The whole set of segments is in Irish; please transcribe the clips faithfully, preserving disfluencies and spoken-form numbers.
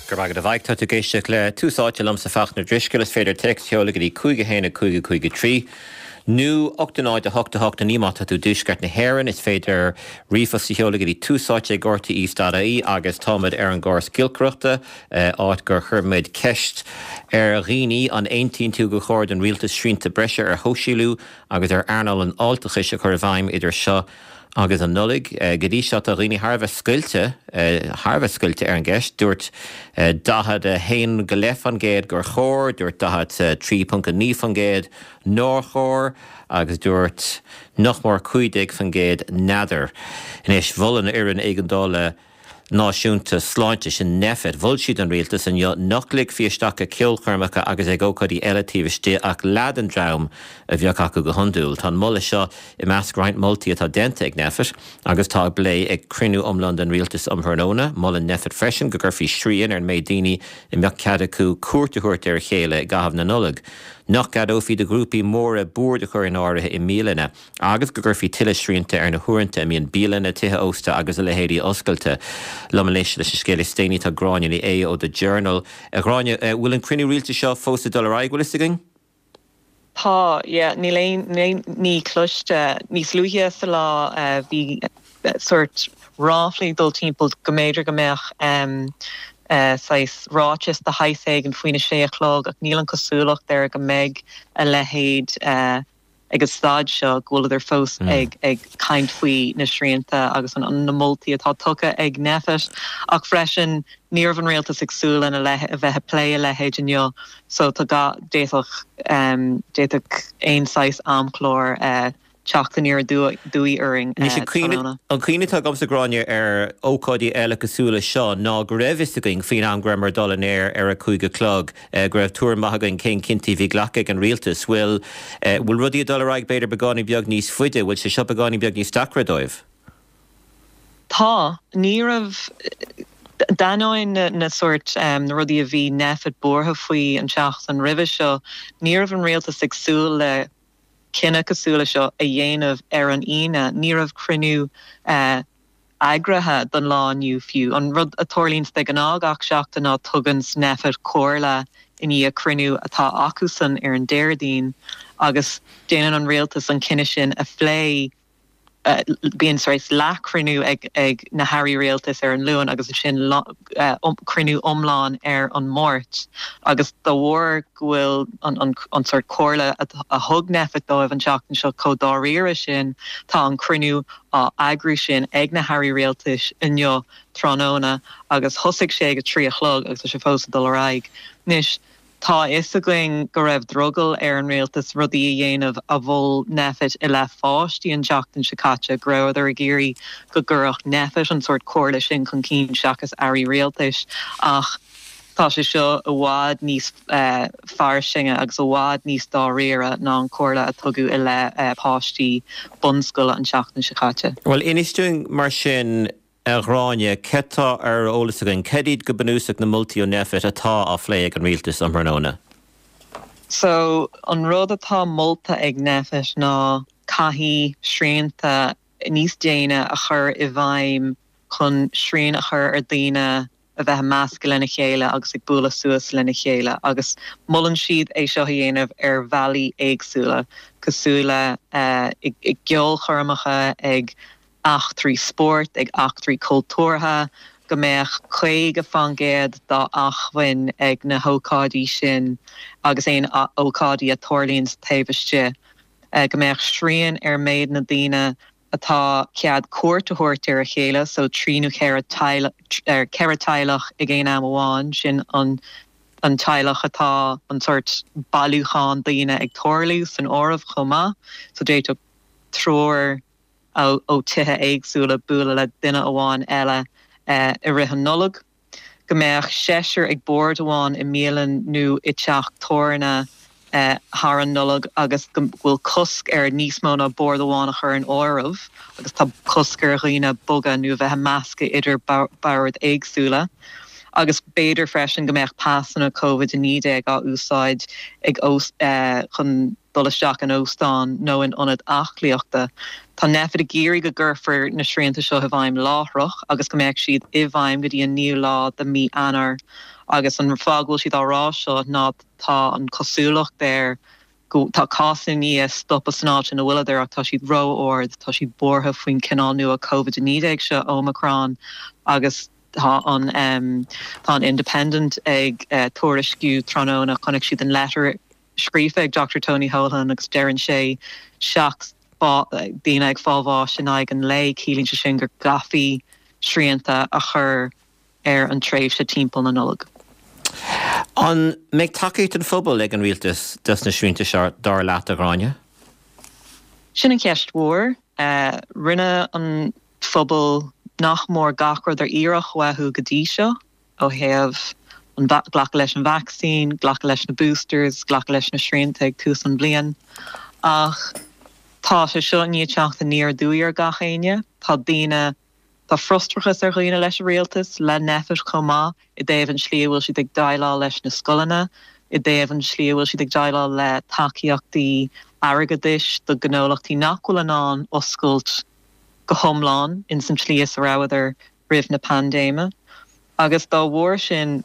Go raibh maith agat a Mhaidhc. Tá tú ag éisteacht le Tús Áite liomsa Fachtna Drisceoil. Is féidir téacs a sheoladh go dtí cúig a haon a cúig a cúig a trí nó ocht a náid a hocht a hocht a naoi má tá tú i dtuaisceart na hÉireann. Is féidir ríomhphost a sheoladh go dtí túsáite ag R T E dot I E agus táimid ar an gcóras giolcaireachta, áit gur chuir muid ceist ar dhaoine an aontaíonn tú gur chóir don rialtas srianta breise ar shóisialú agus ar earnáil an fháilteachais a chur i bhfeidhm idir seo agus an Nollaig. Go dtí seo tá dhaoine thar a bheith scoilte thar a bheith scoilte ar an gceist. Dúirt daichead a haon go leith faoin gcéad gur chóir, dúirt daichead trí ponc a naoi faoin gcéad nár chóir agus dúirt nach mór cúig déag faoin gcéad n'fheadar. Anois mhol an fhoireann éigeandála náisiúnta sláinte sin Nphet. Mhol siad an rialtas inniu nach ligfí isteach ag ceolchoirmeacha agus ag ócáidí eile taobh istigh ach leath den dream a bheadh acu go hiondúil. Tá an moladh seo i measc roinnt moltaí atá déanta ag Nphet agus tá á bplé ag cruinniú iomlán den rialtas um thráthnóna, molann Nphet freisin go gcuirfí srian ar an méid daoine a mbeadh cead acu cuairt a thabhairt ar a chéile i gcaitheamh na Nollag. Nach gceadófaí do ghrúpaí móra boird a chur in áirithe i mbialanna agus go gcuirfí tuilleadh srianta ar na huaireanta a mbíonn bialanna, tithe ósta agus a leithéidí oscailte. Liom anois leis an scéal is déanaí tá Gráinne Ní Aodha ó The Journal. Gráinne, bhfuil an cruinniú rialtais seo fós ag dul ar aghaidh bhfuil fhios againn? Tá níl aon ní cloiste níos luaithe sa lá bhí sort ráflaí dul timpeall go mb'fhéidir go mbeadh um, uh, saghas ráiteas de shaghas éigin faoina sé a chlog ach níl an cosúlacht air go mbeidh a leithéid uh, ag an staid seo go bhfuileadar fós mm. ag ag caint faoi na srianta agus an, an na moltaí atá tugtha ag Nphet ach freisin ní raibh an rialtas ag súil lena le a bheith ag plé a leithéid inniu so tá ga d'fhéadfadh um, d'fhéadfadh aon saghas amchlár uh, teacht aniar aduaidh orainn. An cuimhne atá agamsa Gráinne ar ócáidí eile cosúil le seo ná go raibh fhios againn faoin am go rabhamar dul in aer ar a cúig a chlog go raibh tuairim maith againn cén cinntí bhí glactha ag an rialtas. Bhfuil bhfuil rudaí dul ar aghaidh b'fhéidir beagáinín beag níos faide, bhfuil sé seo beagáinín beag níos deacra dóibh? Tá ní raibh d'ainneoin na, na sort um, na rudaí a bhí Nphet buartha faoi an tseachtain roimhe seo, ní raibh an rialtas ag súil le cinneadh cosúil le seo a dhéanamh ar an Aoine, ní raibh cruinniú uh, eagraithe don lá inniu fiú. An rud a tharlaíonn de ghnáth gach seachtain ná tugann Nphet comhairle i ndiaidh cruinniú atá acusan ar an Déardaoin agus déanann an rialtas an cinneadh sin a phlé uh, bíonn saghas leathchruinniú ag, ag na hairí rialtais ar an Luan agus sin uh, um, cruinniú iomlán ar an Máirt agus dá bharr go bhfuil an, an, an sort comhairle a, a thug Nphet dóibh an tseachtain seo chomh dáiríre sin tá an cruinniú á eagrú sin ag na hairí rialtais inniu tráthnóna agus thosaigh sé ag trí a chlog agus sé fós dul ar aghaidh. Anois, Tá fhios againn go raibh drogall ar an rialtas rudaí a dhéanamh a mhol Nphet i leith páistí an tseachtain seo caite go rabhadar ag iarraidh go gcuirfeadh Nphet an sort comhairle sin chun cinn seachas airí rialtais ach tá sé seo i bhfad níos uh, fairsinge agus i bhfad níos dáiríre ná an comhairle a tugadh i leith uh, páistí bunscoile an tseachtain seo caite. Well inis dúinn mar sin a Ghráinne cad tá ar eolas againn, cad iad go bunúsach na moltaí ó Nphet atá á phlé ag an rialtas um thráthnóna. So an rud atá molta ag Nphet ná caithfidh srianta níos déine a chur i bhfeidhm chun srian a chur ar daoine a bheith measctha lena chéile agus ag bualadh suas lena chéile agus molann siad é seo a dhéanamh ar bhealaí éagsúla cosúil le uh, ag, ag ceolchoirmeacha ag eachtraí spóirt ag eachtraí cultúrtha go mbeadh caoga faoin gcéad dá acmhainn ag na hócáidí sin agus aon ócáidí a tharlaíonn taobh istigh. Uh, go mbeadh srian ar méid na daoine atá cead cuairt a thabhairt ar a chéile, so trí nó ceithre teaghlach ag aon am amháin sin an an teaghlach atá an sort bailiúchán daoine ag tarlú san áireamh chomh maith, so d'fhéadfadh triúr ó, ó tithe éagsúla bualadh le duine amháin eile uh, i rith an Nollag. Go mbeadh seisear ag bord amháin i mbialann nó i dteach tábhairne uh, thar an Nollag agus go bhfuil cosc ar níos mó ná bord amháin a chur in áireamh agus tá cosc ar dhaoine bogadh nó bheith measctha idir boird éagsúla. Agus b'fhéidir freisin go mbeadh pasanna COVID a naoi déag á úsáid ag uh, chun dul isteach in óstán nó in ionad aclaíochta. Tá Nphet ag iarraidh go gcuirfear na srianta seo i bhfeidhm láithreach agus go mbeidh siad i bhfeidhm go dtí an naoú lá de mí Eanáir agus an fáth go bhfuil siad á rá seo ná tá an cosúlacht air go tá cásanna i ndiaidh stopadh san áit ina bhfuileadar ach tá siad ró-ard, tá siad buartha faoin cineál nua Covid a naoi déag seo Omicron agus tá an um, tá an Independent ag uh, tuairisciú tráthnóna chonaic siad an letter scríofa ag Dr Tony Holohan agus deireann sé seacht daoine ag fáil bháis in aghaidh an lae ciallaíonn sé sin go gcaithfí srianta a chur ar an tréimhse timpeall na Nollag. An mbeidh tacaíocht an phobail ag an rialtas dos na srianta seo dar leat a Ghráinne? Sin an cheist mhór uh, rinne an phobal nach mór gach rud ar iarradh uathu go dtí seo ó thaobh an glacadh leis an vaccine, glacadh leis na boosters, glacadh leis na srianta ag tús an bhliain. Ach tá sé seo i ndiaidh teacht aniar aduaidh ar gach éinne, Tá daoine Tá frustrachas ar dhaoine leis an rialtas le Nphet chomh maith i dtaobh an slí bhfuil siad ag déileáil leis na scoileanna, i dtaobh an slí bhfuil siad ag déileáil le tacaíochtaí airgeadais do gnólachtaí nach bhfuil in ann oscailt go hiomlán in san tslí is a rabhadar roimh na paindéime. Agus dá bharr sin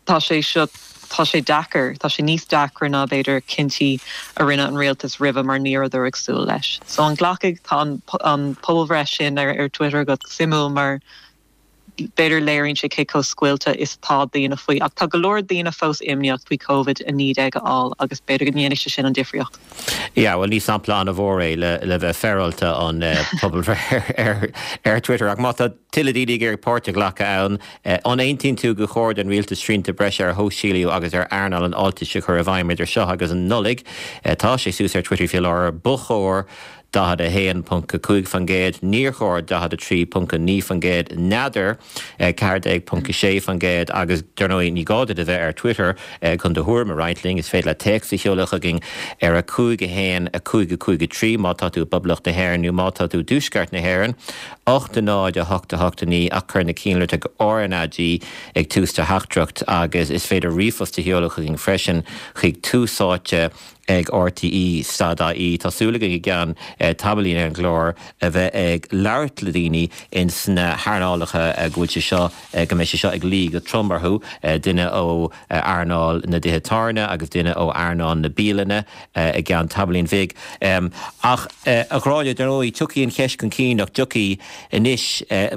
tá sé seo tá sé deacair, tá sé níos deacra ná b'fhéidir cinntí a rinne an rialtas roimhe mar ní rabhadar ag súil leis. So an nglacfaidh tá an, an pobalbhreith sin ar, ar Twitter go suimiúil mar b'fhéidir léiríonn sé cé chomh scoilte is atá daoine faoi ach tá go leor daoine fós imníoch faoi COVID a naoi déag a fháil agus b'fhéidir go ndéanfaidh sé sin an difríocht. Ja, well ní sampla an-mhór é le le bheith féaráilte an uh, pobalbhreith ar, ar Twitter ach má tá tuilleadh daoine ag iarraidh páirt a ghlacadh ann uh, an aontaíonn tú gur chóir don rialtas srianta breise ar shóisialú agus ar earnáil an fháiltis a chur i bhfeidhm idir seo agus an Nollaig uh, tá sé suas ar Twitter faoi láthair ba chóir daichead a haon ponc a cúig faoin gcéad, níor chóir daichead a trí ponc a naoi faoin gcéad n'fheadar ceathair déag ponc a sé faoin gcéad agus dar ndóigh ní gá duit a bheith ar Twitter chun do thuairim a roinnt linn is féidir leat téacs a sheoladh chugainn ar a cúig a haon a cúig a cúig a trí má tá tú i bPoblacht na hÉireann nó má tá tú i dTuaisceart na hÉireann, ocht a náid a hocht a hocht a naoi ach cuir na cinnlitreacha RnaG ag tús do theachtaireacht agus is féidir ríomhphost a sheoladh chugainn freisin chuig Tús Áite ag RTE stad ie Tá súil againn i gceann tamaillín ar an gclár a bheith ag labhairt le daoine in sna hearnálacha go bhfuil sé seo go mbeidh sé seo ag luí go trom orthu duine ó earnáil na dtithe tábhairne agus duine ó earnáil na bialanna i gceann tamaillín bhig. Ach a Ghráinne dar ndóigh tiocfaidh an cheist chun cinn nach dtiocfaidh anois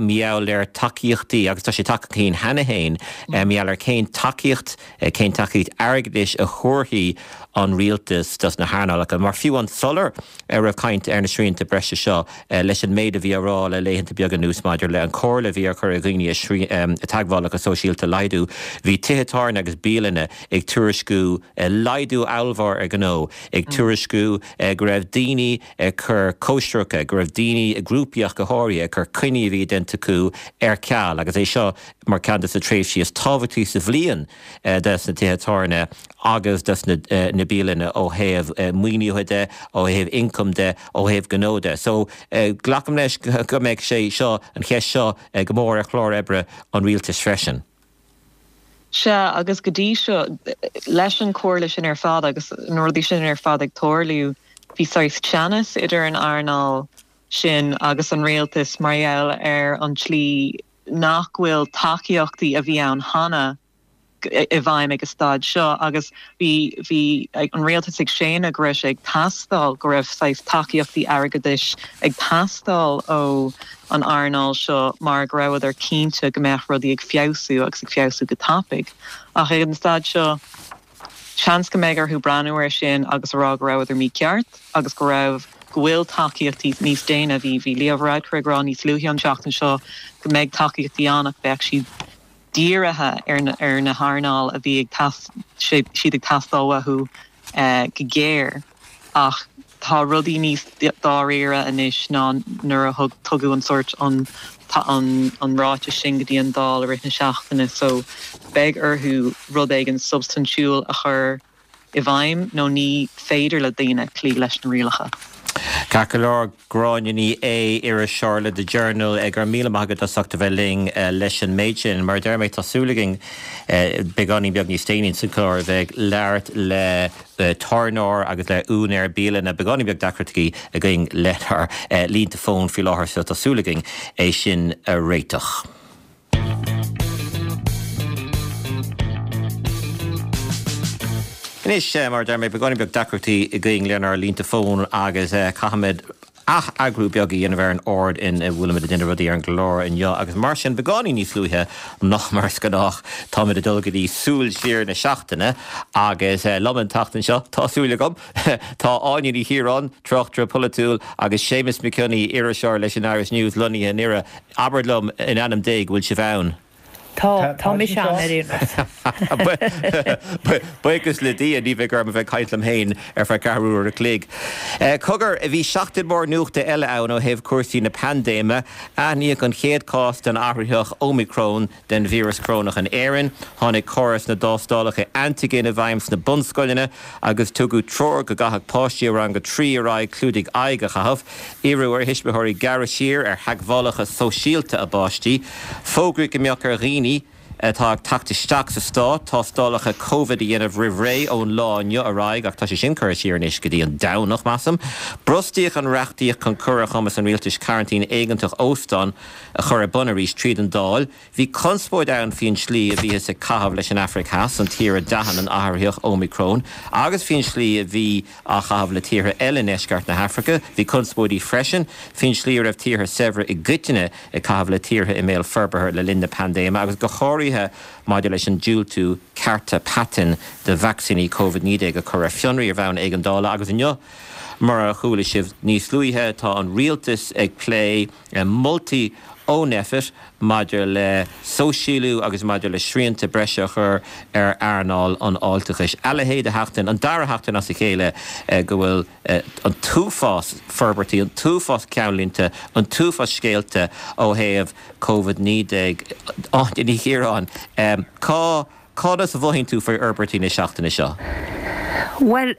mar gheall ar tacaíochtaí agus tá sé tagtha chun cinn cheana féin mar gheall ar cén tacaíocht cén tacaíocht airgeadais a thabharfaidh an rialtas dos na hearnálacha, mar fiú an sular ar raibh caint ar na srianta breise seo leis an méid a bhí á rá le laethanta beaga anuas maidir le an chomhairle a bhí á chur ar dhaoine a teagmhálacha sóisialta a laghdú, bhí tithe tábhairne agus bialanna ag tuairisciú laghdú ollmhór ar gnó, ag tuairisciú go raibh daoine ag cur cóisireacha, go raibh daoine grúpaí ach go háirithe ag cur coinní a bhí déanta acu ar ceal agus é seo mar ceann de na tréimhsí is tábhachtaí sa bhliain des na tithe tábhairne agus des na, na bialanna ó thaobh maoinithe de, ó thaobh ioncam de, ó thaobh gnó de. So glacaim leis go mbeidh sé seo an cheist seo go mór ar chlár oibre an rialtais freisin. Sea agus go dtí seo leis an chomhairle sin ar fad agus na rudaí sin ar fad ag tarlú, bhí saghas teannas idir an earnáil sin agus an rialtas mar gheall ar an tslí nach bhfuil tacaíochtaí a bhí ann cheana i bhfeidhm ag an staid seo agus bhí bhí an rialtas ag séanadh go raibh sé ag teastáil go raibh saghas tacaíochtaí airgeadais ag teastáil ó an earnáil seo mar go rabhadar cinnte go mbeadh rudaí ag feabhsú agus ag feabhsú go tapaidh. Ach ag an staid seo seans go mbeidh orthu breathnú air sin agus a rá go rabhadar mícheart agus go raibh go bhfuil tacaíochtaí níos déine bhí bhí Leo Varadkar ag rá níos luaithe an tseachtain seo go mbeidh tacaíochtaí ann ach beidh siad dírithe ar na, ar na hearnáil a bhí ag siad ag teastáil uathu uh, go géar ach tá rudaí níos dáiríre anois ná nuair a thug tugadh an sórt an an, an ráiteas sin go dtí an Dáil i rith na seachtaine so beidh orthu rud éigin substaintiúil a chur i bhfeidhm nó ní féidir le daoine cloí leis na rialacha. Ceart go leor Gráinne Ní Aodha iriseoir le The Journal go raibh míle maith agat as ucht a bheith linn leis an méid sin. Mar deir mé tá súil againn beagáinín beag níos déanaí sa chlár a bheith labhairt le tábhairneoir agus le úinéir bialanna beagáinín beag deacrachtaí againn lenár línte fóin faoi láthair so tá súil againn é sin a réiteach. Anois mar deir mé beagáinín beag deacrachtaí againn lenár línte fóin agus caithfimid ath-eagrú beag a dhéanamh ar an ord ina bhfuilimid ag déanamh rudaí ar an gclár inniu agus mar sin beagáinín níos luaithe ná mar is gnách táimid ag dul go dtí súil siar na seachtaine agus liom an tseachtain seo tá súil agam tá Áine Ní Chiaráin tráchtaire polaitiúil agus Séamus Mac Cionnaith iriseoir leis an Irish News lonnaithe i nDoire. Abair liom in ainm Dé go bhfuil sibh ann. Tá tá mise ann ar aon Buíochas le Dia ní bheidh orm a bheith ag caint liom féin ar feadh ceathrú uair a chloig. Cogar bhí seachtain mhór nuachta eile ann ó thaobh cúrsaí na paindéime. Aithníodh an chéad chás den athraitheach Omicron den víreas corónach in Éirinn. Tháinig córas na dtástálacha antaigin i bhfeidhm sna bunscoileanna agus tugadh treoir go gcaithfeadh páistí ó rang a trí ar aghaidh clúdaigh aghaidh a chaitheamh. Iarradh ar thuismitheoirí gearradh siar ar theagmhálacha sóisialta a bpáistí. Fógraíodh go mbeadh ar dhaoine atá ag teacht isteach sa stát tástálacha Covid a dhéanamh roimh ré ón lá inniu ar aghaidh ach tá sé sin curtha siar anois go dtí an Domhnach, measaim. Brostaíodh an reachtaíocht chun cur ar chumas an rialtais cearantín éigeantach óstán a chur ar bun arís tríd an Dáil. Bhí conspóid ann faoin slí a bhíothas ag caitheamh leis an Afraic Theas, an tír a d'aithin an athraitheach Omicron, agus faoin slí a bhí á chaitheamh le tíortha eile i ndeisceart na hAfraice. Bhí conspóidí freisin faoin slí a raibh tíortha saibhre i gcoitinne ag caitheamh le tíortha i mbéal forbartha le linn na paindéime agus go háirithe maidir leis an diúltú cearta paitinn do vacsaíní Covid naoi déag a chur ar fionraí ar bhonn éigeandála agus inniu mar a chuala sibh níos luaithe tá an rialtas ag plé moltaí ó Nphet maidir le sóisialú agus maidir le srianta breise a chur ar earnáil an fháilteachais. A leithéid de sheachtain, an dara sheachtain as a chéile go bhfuil an t-uafás forbairtí, an t-uafás ceannlínte, an t-uafás scéalta ó thaobh Covid naoi déag. Áine Ní Chiaráin, cá conas a mhothaíonn tú faoi fhorbairtí na seachtaine seo? Bhuel,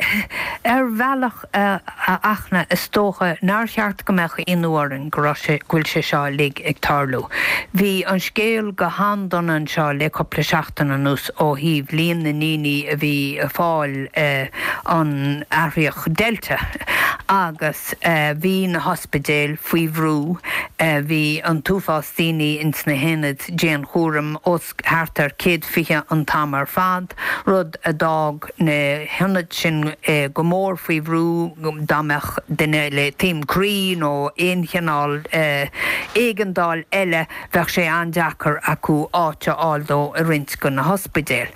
ar bhealach a Fhachtna, is dócha nár cheart go mbeadh ionadh orainn go raibh sé, go bhfuil sé seo uilig ag tarlú. Bhí an scéal go han-dona anseo le cúpla seachtain anuas ó thaobh líon na ndaoine a bhí ag fáil an athraitheach Delta agus bhí na hospidéil faoi bhrú, bhí an t-uafás daoine ins na haonaid dianchúraim os thart ar céad fiche an t-am ar fad, rud a d'fhág na hionaid sin go mór faoi bhrú dá mbeadh duine le taom croí nó aon chineál éigeandáil eile bheadh sé an-deacair acu áit a fháil dó i roinnt de na hospidéil.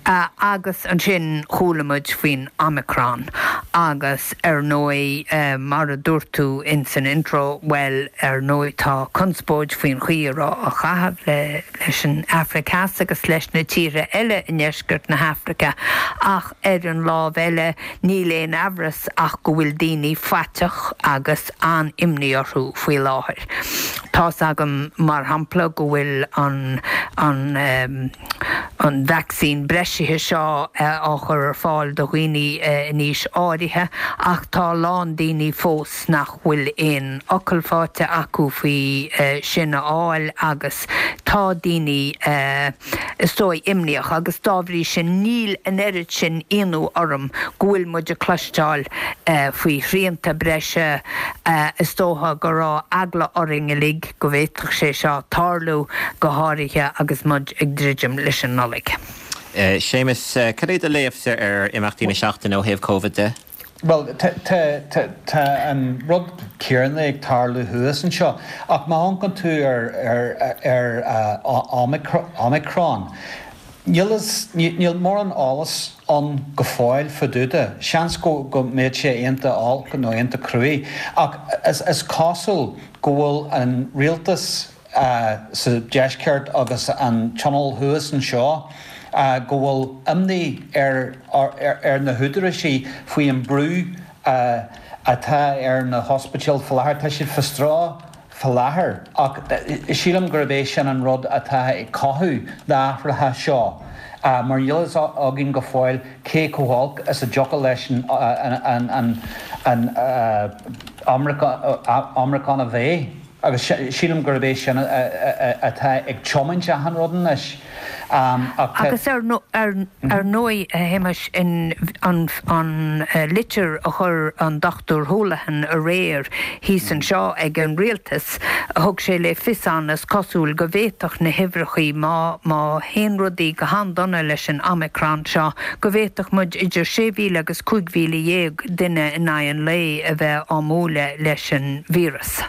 Agus ansin chuala muid faoin Omicron agus ar ndóigh mar a dúirt tú ins an intro, bhuel ar ndóigh tá conspóid faoin chaoi a raibh á chaitheamh le leis an Afraic Theas agus leis na tíortha eile i ndeisceart na hAfraice ach ar an lámh eile níl aon amhras ach go bhfuil daoine faiteach agus an-imní orthu faoi láthair. Tá's agam mar shampla go bhfuil an an an vacsaín breisithe seo á chur ar fáil do dhaoine in aois áirithe ach tá a lán daoine fós nach bhfuil aon fhocal faighte acu faoi sin a fháil agus tá daoine is dóigh imníoch agus dá bhrí sin níl an oiread sin ionadh orm go bhfuil muid ag cloisteáil faoi shrianta breise. Is dócha go raibh eagla orainn uilig go bhféadfadh sé seo tarlú, go háirithe agus muid ag druidim leis an Nollaig. Séamus, cad é do léamhsa ar imeachtaí na seachtaine ó thaobh Covid de? Bhuel, tá an rud céanna ag tarlú thuas anseo, ach má amharcann tú ar Omicron, níl níl mórán eolas ann go fóill fá dtaobh de. Seans go mbeidh sé iontach olc nó iontach cruaidh, ach is cosúil go bhfuil an rialtas sa deisceart agus an tionól thuas anseo, go bhfuil imní ar ar na húdaráis faoi an brú atá ar na hospidéil faoi láthair. Tá siad faoi stró faoi láthair ach sílim gurb é sin an rud atá ag cothú na hathruithe seo mar níl fhios againn go fóill cé chomh holc is a dtiocfadh leis an an Omicron a bheith agus sílim gurb é sin atá ag tiomáint achan rud anois. Agus ar ar ndóigh a Shéamais in an an litir a chuir an Dochtúir Holohan aréir thíos anseo ag an rialtas, thug sé le fios ann is cosúil go bhféadfadh na huimhreachaí má má théann rudaí go han-dona leis an Omicron seo, go bhféadfadh muid idir sé mhíle agus cúig mhíle dhéag duine in aghaidh an lae a bheith á mbualadh leis an víreas.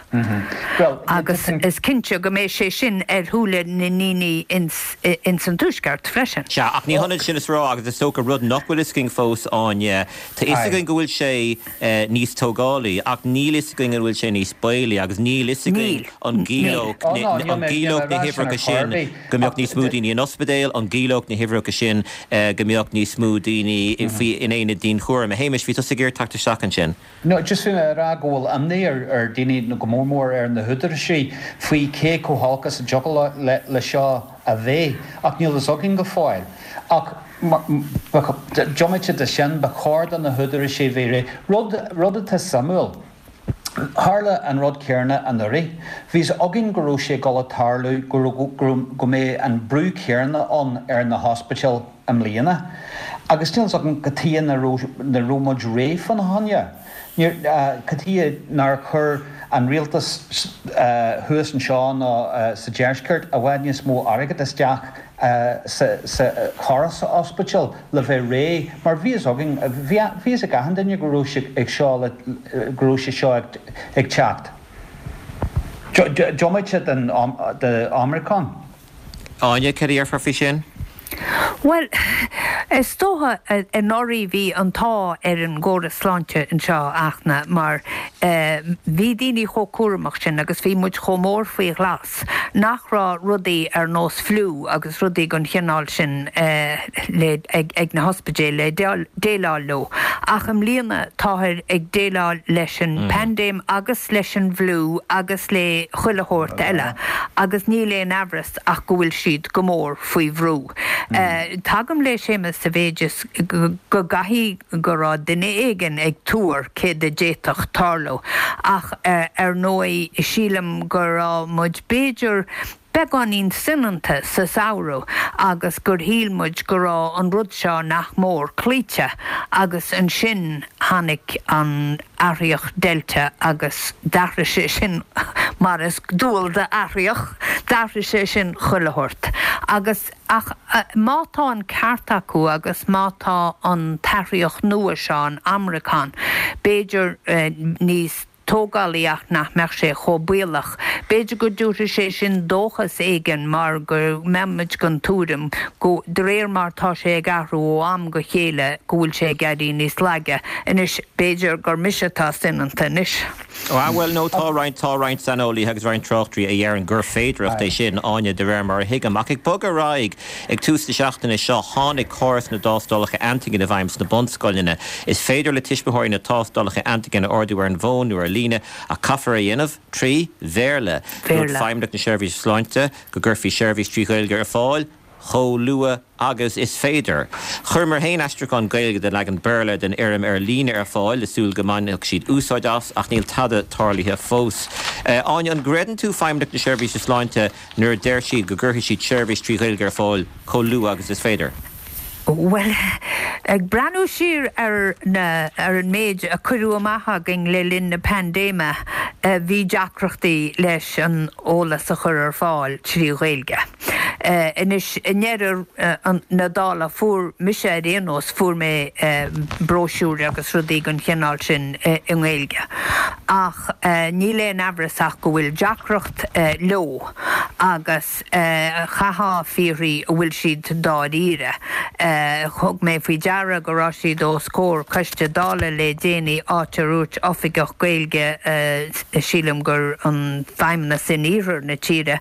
Agus is cinnte go mbeidh sé sin ar shúile na ndaoine ins ins an Tuaisceart freisin. Sea, ach ní hionann sin is rá agus is dócha rud nach bhfuil fhios againn fós Áine, tá fhios againn go bhfuil sé níos tógálaí ach níl fhios againn an bhfuil sé níos baolaí agus níl fhios againn an gciallódh an gciallódh na huimhreacha sin go mbeadh níos mó daoine in ospidéal, an gciallódh na huimhreacha sin go mbeadh níos mó daoine faoi in aonad dianchúraim. A Shéamais, bhí tusa ag iarraidh teacht isteach ansin. No, just bhí mé ag rá go bhfuil imní ar ar daoine nó go mór mór ar na húdaráis faoi cé chomh holc is a dtiocfadh le le seo a bheith, ach níl fhios againn go fóill. Ach diomaite de sin, ba chóir do na húdaráis a bheith réidh. Rud rud atá suimiúil, tharla an rud céanna anuraidh. Bhí fhios againn go raibh sé ag dul a tarlú, go raibh go raibh go mbeidh an brú céanna ann ar na hospidéil i mbliana. Agus níl fhios agam cad chuige nach raibh nach raibh muid réidh fána choinne. Níor cad chuige nár chuir an rialtas thuas anseo nó sa deisceart i bhfad níos mó airgead isteach sa sa chóras ospidéal le bheith réidh mar bhí fhios againn bhí fhios ag achan duine go raibh sé ag seo le go raibh sé seo ag ag teacht. Diomaite den de Omicron. Áine, cad a déarfá faoi sin? Bhuel, is dócha anuraidh bhí an t-ádh ar an gcóras sláinte anseo a Fhachtna mar bhí daoine chomh cúramach sin agus bhí muid chomh mór faoi ghlas nach raibh rudaí ar nós fliú agus rudaí den chineál sin le ag ag na hospidéil le déileáil leo. Ach i mbliana táthar ag déileáil leis an bpaindéim agus leis an bhfliú agus le chuile shórt eile agus níl aon amhras ach go bhfuil siad go mór faoi bhrú. Tagaim le Séamus sa mhéid is go gcaithfidh go raibh duine éigin ag tuar céard a d'fhéadfadh tarlú ach ar ndóigh sílim go raibh muid b'fhéidir beagáinín soineanta sa samhradh agus gur shíl muid go raibh an rud seo nach mór cloíte agus ansin tháinig an athraitheach Delta agus d'athraigh sé sin mar is dual d'athraíoch, d'athraigh sé sin chuile shórt. Agus ach má tá an ceart acu agus má tá an t-athraitheach nua seo, an Omicron, b'fhéidir níos tógálaí ach nach mbeadh sé chomh baolach. B'fhéidir go dtabharfaidh sé sin dóchas éigin mar go mbeidh muid den tuairim go, de réir mar tá sé ag athrú ó am go chéile, go bhfuil sé ag éirí níos laige. Anois, b'fhéidir gur mise atá soineanta anois. Ah bhuel no tá roinnt tá roinnt saineolaithe agus roinnt tráchtairí a dheireann gur féidireacht é sin, Áine, de réir mar a thuigim. Ach ag bogadh ar aghaidh, ag tús na seachtaine seo tháinig córas na dtástálacha antaigin i bhfeidhm sna bunscoileanna. Is féidir le tuismitheoirí na tástálacha antaigin a ordú ar an bhfón nó ar líne ach caithfear é a dhéanamh trí Bhéarla. Dúirt Feidhmeannacht na Seirbhíse Sláinte go gcuirfí seirbhís trí Ghaeilge ar fáil chomh luath agus is féidir. Chuireamar féin aistriúchán Gaeilge den leagan Béarla den fhoirm ar líne ar fáil le súil go mbainfeadh siad úsáid as ach níl tada tarlaithe fós. Áine, an gcreideann tú Feidhmeannacht na Seirbhíse Sláinte nuair a deir siad go gcuirfidh siad seirbhís trí Ghaeilge ar fáil chomh luath agus is féidir? Bhuel, ag breathnú siar ar na ar an méid a cuireadh amach againn le linn na paindéime, bhí deacrachtaí leis an eolas a chur ar fáil trí Ghaeilge. Anois, i ndeireadh na dála, fuair mise ar aon nós, fuair mé bróisiúir agus rudaí den chineál sin i nGaeilge. Ach níl aon amhras ach go bhfuil deacracht leo agus chaithfeá fiafraí an bhfuil siad dáiríre. Thug mé faoi deara go raibh siad os comhair coiste Dála le déanaí áit ar dhúirt oifigeach Gaeilge, sílim gur an Feidhmeannas in iarthar na tíre,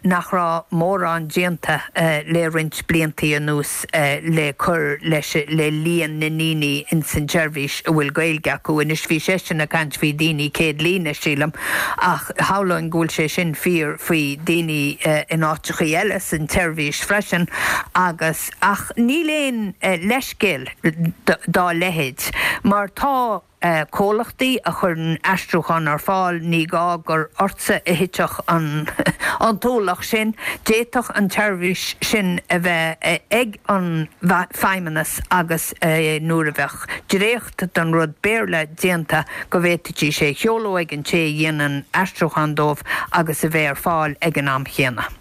nach raibh mórán déanta le roinnt bliantaí anuas le cur leis le líon na ndaoine ins an tseirbhís a bhfuil Gaeilge acu. Anois bhí seisean ag caint faoi daoine céad líne, sílim, ach shamhlóinn go bhfuil sé sin fíor faoi daoine in áiteachaí eile san tseirbhís freisin agus ach níl aon leithscéal dá leithéid mar tá comhlachtaí a chuireann aistriúchán ar fáil ní gá gur ortsa a thitfeadh an an t-ualach sin, d'fhéadfadh an tseirbhís sin a bheith ag an bhFeidhmeannas agus nuair a bheadh dréacht den rud Béarla déanta go bhféadfaidís é a sheoladh ag an té a dhéanann aistriúchán dóibh agus a bheith ar fáil ag an am chéanna.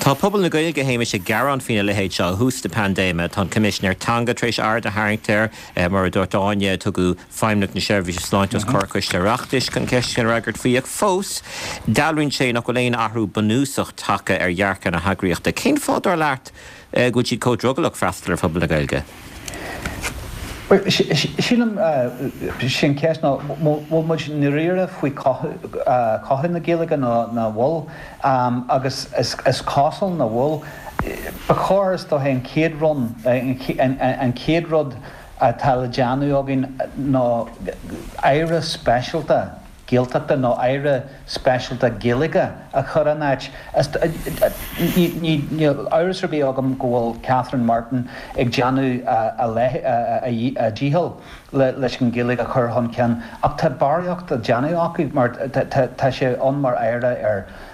Tá pobal na Gaeilge a Shéamais ag gearán faoina leithéid seo ó thús na paindéime. Tá an Coimisinéir Teanga tar éis aird a tharraingt air, mar a dúirt Áine, tugadh Feidhmeannach na Seirbhíse Sláinte os comhair Coiste Oireachtais chun ceisteanna a fhreagairt faoi ach fós dealraíonn sé nach bhfuil aon athrú bunúsach tagtha ar dhearcadh na heagraíochta. Cén fáth dar leat go bhfuil siad chomh drogallach freastal ar phobal na Gaeilge? Sílim sin ceist ná bhfuil muid i ndáiríre faoi chothú na Gaeilge nó nach bhfuil agus is cosúil nach bhfuil. Ba chóir is dócha an chéad rud an chéad rud atá le déanamh againn ná aire speisialta Gaeltachta nó aire speisialta Gaeilge a chur in áit. Níl amhras ar bith agam go bhfuil Catherine Martin ag déanamh a dícheall leis an Ghaeilge a chur chun cinn ach tá barraíocht á déanamh acu mar tá sé ann mar aire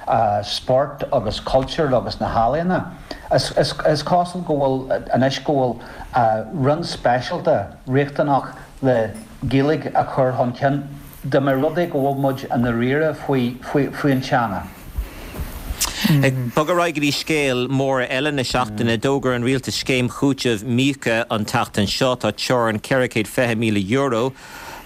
ar spórt agus cultúr agus na healaíona. Is cosúil go bhfuil anois go bhfuil roinn speisialta riachtanach le Gaeilge a chur chun cinn. Dá mba rud é go bhfuil muid i ndáiríre faoi an teanga. Ag bogadh ar aghaidh go dtí scéal mór eile na seachtaine, d'fhógair an rialtas scéim chúitimh míoca an tseachtain seo. Tá teorainn ceithre chéad fiche míle euro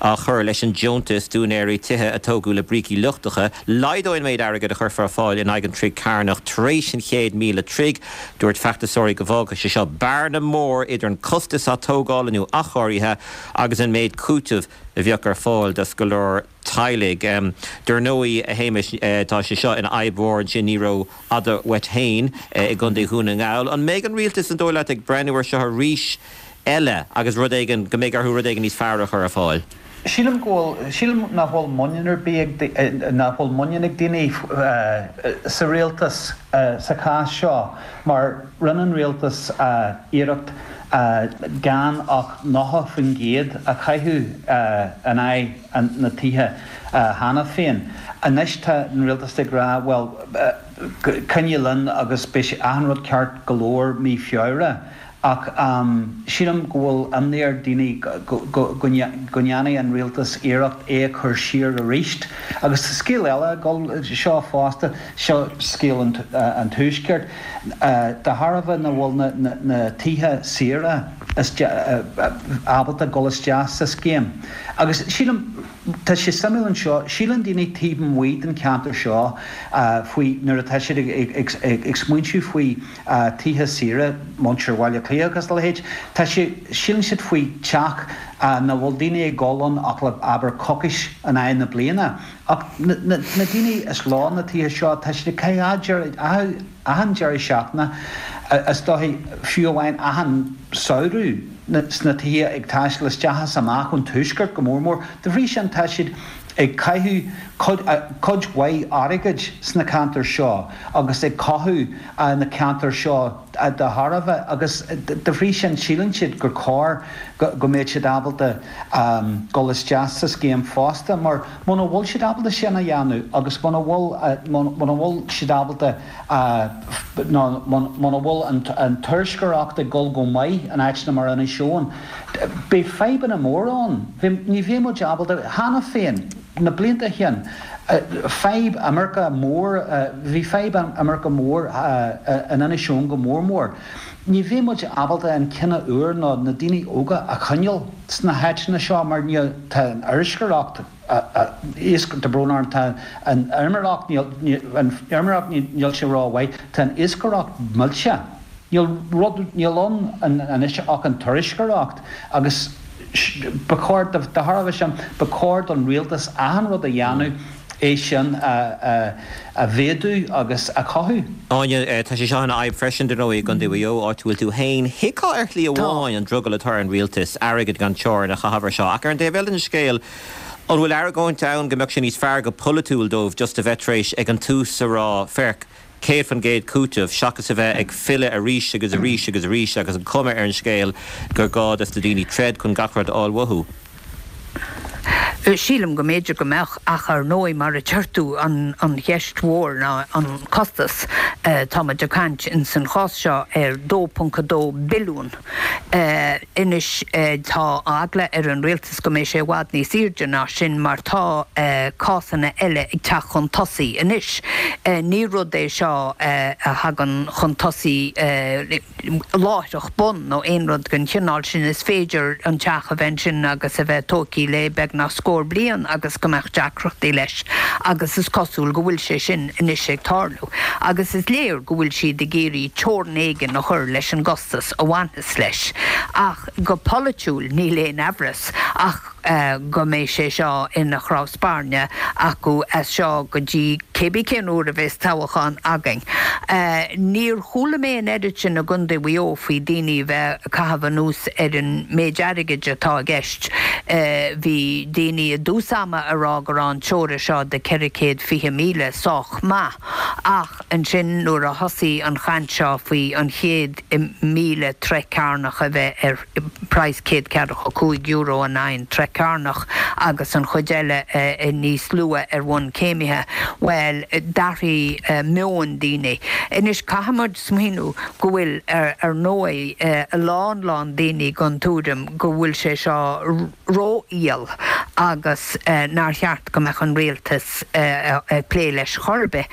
á chur leis an deontas d'úinéirí tithe a tógadh le brící lochtacha. Laghdóidh an méid airgid a chuirfear ar fáil in aghaidh an troigh cearnach tar éis an chéad míle troigh. Dúirt feachtasóirí go bhfágfadh sé seo bearna mór idir an costas atógála nó athchóirithe agus an méid cúitimh a bheadh ar fáil do go leor teaghlaigh. Dar ndóigh, a Shéamais, tá sé seo ina fhadhb mhór ansin ní rófhada uait féin i gContae Dhún na nGall. An mbeidh an rialtas, an dóigh leat, ag breathnú air seo arís eile agus rud éigin, go mbeidh orthu rud éigin níos fearr a chur ar fáil? Sílim go bhfuil, sílim nach bhfuil muinín ar bith ag, nach bhfuil muinín ag daoine sa rialtas sa chás seo mar rinne an rialtas iarracht gan ach nócha faoin gcéad a chaitheamh in aghaidh na tithe cheana féin. Anois tá an rialtas ag rá bhuel coinnigh linn agus beidh achan rud ceart go leor mí Feabhra. Ach sílim go bhfuil imní ar daoine go ndéanfaidh an rialtas iarracht é a chur siar arís. Agus tá scéal eile ag dul seo fosta, seo scéal an Tuaiscirt. De thairbhe nach bhfuil na tithe saora ábalta dul isteach sa scéim. Agus sílim, tá sé suimiúil anseo, síleann daoine taobh amuigh den cheantar seo faoi nuair atá siad ag smaointiú faoi tithe saoire, muintir Bhaile Átha Cliath agus a leithéid, tá sé, síleann siad faoi teach nach bhfuil daoine ag dul ann ach le abair coicís in aghaidh na bliana. Ach na daoine is leo na tithe seo, tá siad ag caitheamh achan deireadh seachtaine, is dóichí, fiú amháin achan samhradh sna tithe ag taisteal isteach is amach ón tuaisceart go mór mór. De bhrí sin tá siad ag caitheamh cuid mhaith airgid sna ceantair seo agus ag cothú na ceantair seo de thairbhe agus de bhrí sin síleann siad gur chóir go mbeadh siad ábalta dul isteach sa scéim fosta mar muna bhfuil siad ábalta sin a dhéanamh agus muna bhfuil muna bhfuil siad ábalta nó muna bhfuil an turasóireacht ag dul go maith in áiteanna mar Inis Eoghain beidh fadhbanna móra ann. Ní bheidh muid ábalta cheana féin na blianta ó shin fadhb imirce mór bhí fadhb imirce mór in Inis Eoghain go mór mór. Ní bheidh muid ábalta an cine úr nó na daoine óga a choinneáil sna háiteanna seo mar níl tá an iascaireacht tá brón orm tá an fheirmeoireacht an fheirmeoireacht níl sé rómhaith tá an iascaireacht millte. Níl rud níl ann anois ach an turasóireacht agus ba chóir de thairbhe sin ba chóir don rialtas achan rud a dhéanamh é sin a mhéadú agus a chothú. Áine, tá sé seo ina fhadhb freisin, dar ndóigh, i gContae Mhaigh Eo, áit a bhfuil tú féin. Thuigfeá ar shlí amháin an drogall atá ar an rialtas airgead gan teorainn a chaitheamh ar seo, ach ar an taobh eile den scéal, an bhfuil argóint ann go mbeadh sé níos fearr go polaitiúil dóibh just a bheith tar éis ag an tús a rá, féach, céad faoin gcéad cúiteamh, seachas a bheith ag filleadh arís agus arís agus arís agus an chuma ar an scéal gur gá dos na daoine troid chun gach rud a fháil uathu? Sílim go mb'fhéidir go mbeadh ach ar ndóigh mar a deir tú an an cheist mhór ná an costas. Táimid ag caint in san chás seo ar dó ponc a dó billiún. Anois tá eagla ar an rialtas go mbeidh sé i bhfad níos airde ná sin mar tá cásanna eile ag teacht chun tosaigh anois. Ní rud é seo a thagann chun tosaigh láithreach bonn nó aon rud den chineál sin. Is féidir an teach a bheith ansin agus a bheith tógtha le beagnach scór bliain agus go mbeadh deacrachtaí leis agus is cosúil go bhfuil sé sin anois ag tarlú. Agus is léir go bhfuil siad ag iarraidh teorainn éigin a chur leis an gcostas a bhaineas leis. Ach go polaitiúil níl aon amhras ach go mbeidh sé seo ina chnámh spairne acu as seo go dtí cébí cén uair a bheas toghchán againn. Níor chuala mé an oiread sin i gContae Mhaigh Eo faoi daoine a bheith ag caitheamh anuas ar an méid airgid atá i gceist. Bhí daoine i dtús ama ag rá go raibh an teora seo de ceithre chéad fiche míle sách maith ach ansin nuair a thosaigh an chaint seo faoi an chéad míle troigh cearnach a bheith ar praghas céad ceathracha cúig euro in aghaidh an troigh cearnach agus an chuid eile níos lú ar bhonn céimithe, bhuel, d'athraigh meon daoine. Anois caithfidh muid smaoineamh go bhfuil, ar ndóigh, a lán lán daoine den tuairim go bhfuil sé seo ró-fhial agus nár cheart go mbeadh an rialtas ag plé leis chor ar bith,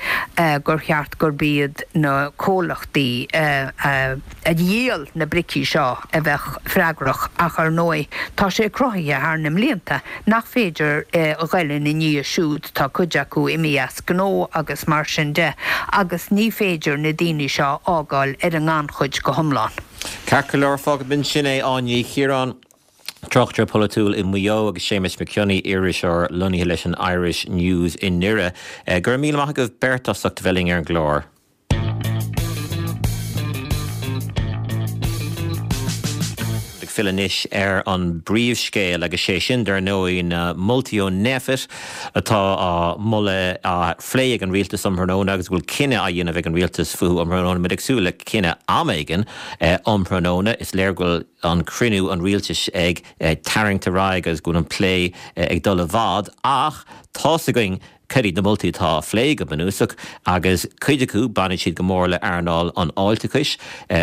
gur cheart gurb iad na comhlachtaí a dhíol na bricí seo a bheadh freagrach ach ar ndóigh tá sé cruthaithe thar na mblianta nach féidir a ghoil ina ndiaidh siúd, tá cuid acu imithe as gnó agus mar sin de agus ní féidir na daoine seo a fhágáil ar an ngannchuid go hiomlán. Ceart go leor, fágfaidh muid ansin é, Áine Ní Chiaráin, tráchtaire polaitiúil i Maigh Eo agus Séamus Mac Cionnaith, iriseoir lonnaithe leis an Irish News i nDoire. Go raibh míle maith agaibh beirt as ucht a bheith linn ar an gclár. Ag filleadh anois ar an bpríomhscéal agus sé sin dar ndóigh na moltaí ó Nphet atá á moladh á phlé ag an rialtas um thráthnóna agus go bhfuil cinneadh á dhéanamh ag an rialtas fúthu um thráthnóna. Muid ag súil le cinneadh am éigin um thráthnóna. Is léir go bhfuil an cruinniú an rialtais ag tarraingt ar aghaidh agus go bhfuil an plé ag dul i bhfad ach tá's againn cad iad na moltaí atá á phlé go bunúsach agus cuid acu baineann siad go mór le earnáil an fháilteachais,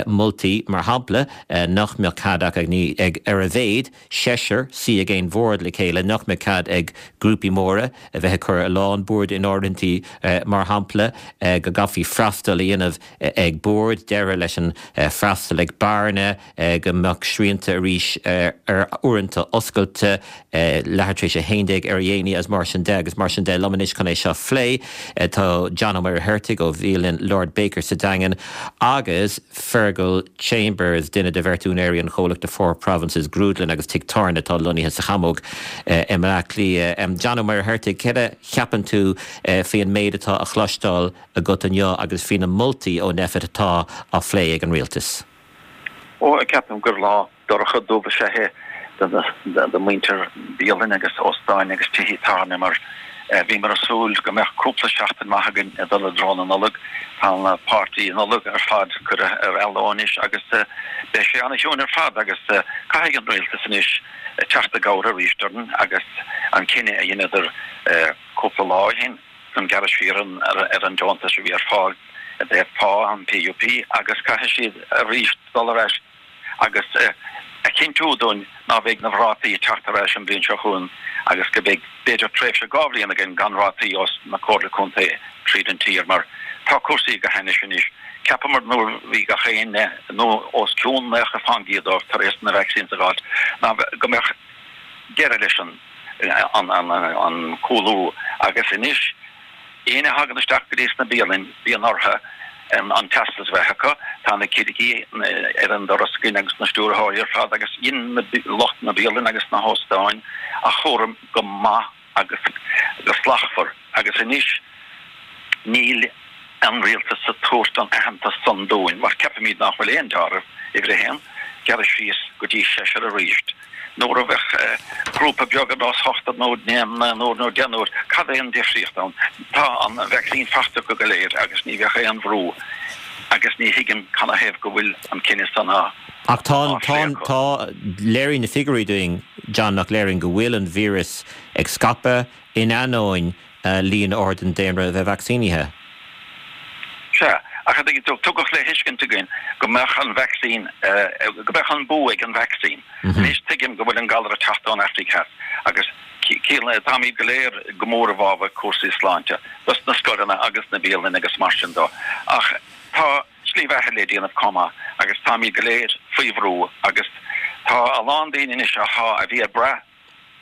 moltaí mar shampla nach mbeadh cead ach ag ar a mhéad seisear suí ag aon bhord le chéile, nach mbeadh cead ag grúpaí móra a bheith ag cur a lán bord in áirithintí mar shampla, go gcaithfí freastal a dhéanamh ag bord, deireadh leis an freastal ag beáranna, go mbeadh srianta arís ar uaireanta oscailte, leathuair tar éis a haon déag ar a dhéanaí agus mar sin de agus mar sin de. Liom anois chun é seo a phlé tá John Ó Muircheartaigh ó bhialann Lord Baker sa Daingean agus Fergal Chambers, duine de bheirt úinéirí an chomhlachta Four Provinces Grúdlann agus Tigh Tábhairne atá lonnaithe sa Chamóg i mBleá Cliath. John Ó Muircheartaigh, céard a cheapann tú faoi an méid atá á chloisteáil agat inniu agus faoi na moltaí ó Nphet atá á phlé ag an rialtas? Ó, ceapaim gur lá dorcha dubh is ea é do mhuintir bialainn agus óstáin agus tithe tábhairne mar bhíomar ag súil go mbeadh cúpla seachtain maith againn ag dul i dtreo na Nollag. Tá na páirtí Nollag ar fad curtha ar athló anois agus beidh sé ana-chiúin ar fad agus caithfidh an rialtas anois teacht i gcabhair arís orainn agus an cinneadh a dheineadar cúpla lá ó shin chun gearradh siar ar an deontas a bhí ar fáil i dtaobh pá an PUP agus caithfidh siad arís dul ar ais agus a chinntiú dúinn ná beidh na rátaí ag teacht ar ais an bhliain seo chugainn agus go mbeidh b'fhéidir tréimhse dhá bhliain againn gan rátaí ós na Comhairle Contae tríd an tír mar tá cúrsaí go hainnis anois. Cheapamar nuair bhí gach éinne nó os cionn naocha fán gcéad dóibh tar éis na vaccines a fháilt ná go mbeadh deireadh leis an an cúlú agus anois éinne a thagann isteach go dtí sna bialainn bíonn orthu an teastas a bheith acu. Tá na cigirí ar an doras againn agus na stiúrthóirí ar fad agus dhein lucht na bialann agus na hóstáin a chúram go maith agus go slachtmhar agus anois níl an rialtas ag tabhairt an aitheantas san dúinn mar ceapaimid nach bhfuil aon deáramh uimhir a haon, gearradh síos go dtí seisear arís. Nuair a bheadh grúpa beag ar nós ochtar nó naonúr nó deichniúr, cad é an difríocht ann? Tá an vacsaín faighte acu go léir agus ní bheadh aon bhrú agus ní thuigim canathaobh go bhfuil an cinneadh san á Ach tá tá tá léiríonn na figiúirí dúinn John nach léiríonn go bhfuil an víreas ag scaipeadh in ainneoin líon ard den daonra a bheith vacsaínithe. Sea, ach tugadh le thuiscint againn go mbeadh an vacsaín, go mbeadh an bua ag an vacsaín. Anois tuigim go bhfuil an galar ag teacht ón Afraic Theas agus táimid go léir go mór i bhfabhar cúrsaí sláinte dos na scoileanna agus na bialanna agus mar sin dó. Ach tá slí bheatha le déanamh chomh maith agus táimid go léir faoi bhrú agus tá a lán daoine anois atá a bhí ag brath